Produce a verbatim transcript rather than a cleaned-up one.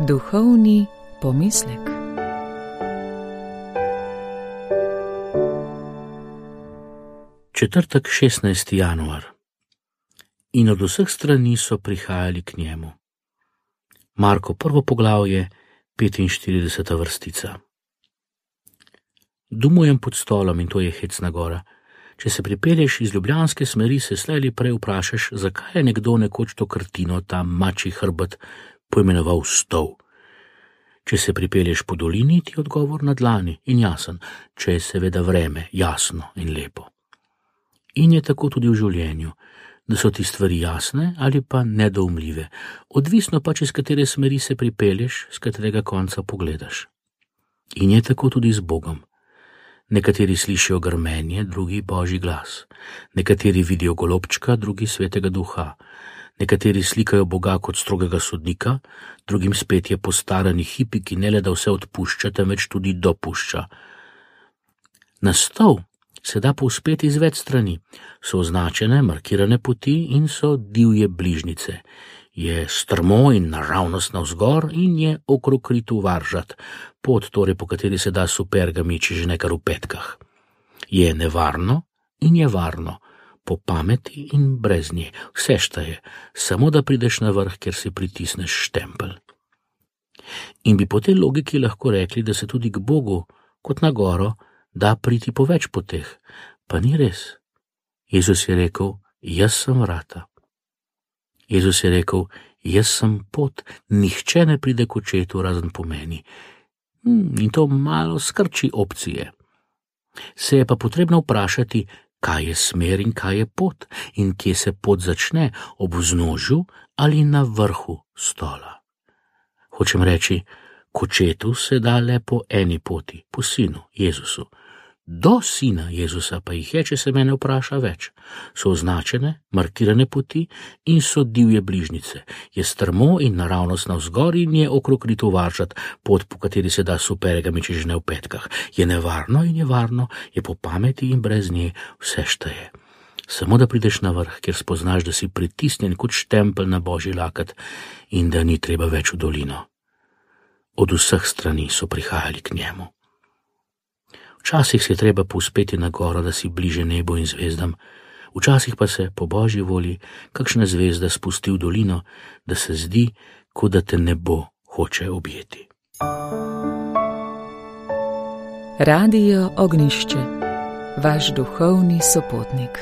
Duhovni pomislek. Četrtek, šestnajsti januar. In od vseh strani so prihajali k njemu. Marko prvo poglavje, petinštirideseta vrstica. Dumujem pod stolom in to je Hecna gora. Če se pripelješ iz ljubljanske smeri, se slej ali prej vprašaš, zakaj je nekdo nekoč to krtino, ta mačji hrbet, poimenoval stol. Če se pripelješ po dolini, ti odgovor na dlani in jasen, če je seveda vreme jasno in lepo. In je tako tudi v življenju, da so ti stvari jasne ali pa nedoumljive, odvisno pa, če z katere smeri se pripelješ, z katerega konca pogledaš. In je tako tudi z Bogom. Nekateri slišijo grmenje, drugi božji glas. Nekateri vidijo golobčka, drugi svetega duha. Nekateri slikajo Boga kot strogega sodnika, drugim spet je postarani hipi, ki ne le da vse odpušča, temveč tudi dopušča. Na stol se da povzpeti iz več strani. So označene, markirane poti in so divje bližnjice. Je strmo in naravnost navzgor in je okrog ritu varžat, pot torej, po kateri se da supergami, če že nekar v petkah. Je nevarno in je varno, po pameti in brez nje, vse šteje, samo da prideš na vrh, kjer si pritisneš štempelj. In bi po tej logiki lahko rekli, da se tudi k Bogu, kot na goro, da priti po več poteh, pa ni res. Jezus je rekel, jaz sem vrata. Jezus je rekel, jaz sem pot, nihče ne pride k očetu razen po meni. In to malo skrči opcije. Se je pa potrebno vprašati, kaj je smer in kaj je pot in kje se pot začne, ob vznožju ali na vrhu stola. Hočem reči, k očetu se da le po eni poti, po sinu, Jezusu. Do sina Jezusa pa jih je, če se mene vpraša, več. So označene, markirane poti in so divje bližnjice. Je strmo in naravnost navzgor in je okrog ritu varžat, pot, po kateri se da supergami, če že ne v petkah. Je nevarno in je varno, je po pameti in brez nje, vse šteje. Samo da prideš na vrh, kjer spoznaš, da si pritisnjen kot štempelj na božji lakat in da ni treba več v dolino. Od vseh strani so prihajali k njemu. Včasih se je treba povzpeti na goro, da si bliže nebu in zvezdam, včasih pa se, po božji volji, kakšna zvezda spusti v dolino, da se zdi, kot da te nebo hoče objeti. Radio Ognjišče, vaš duhovni sopotnik.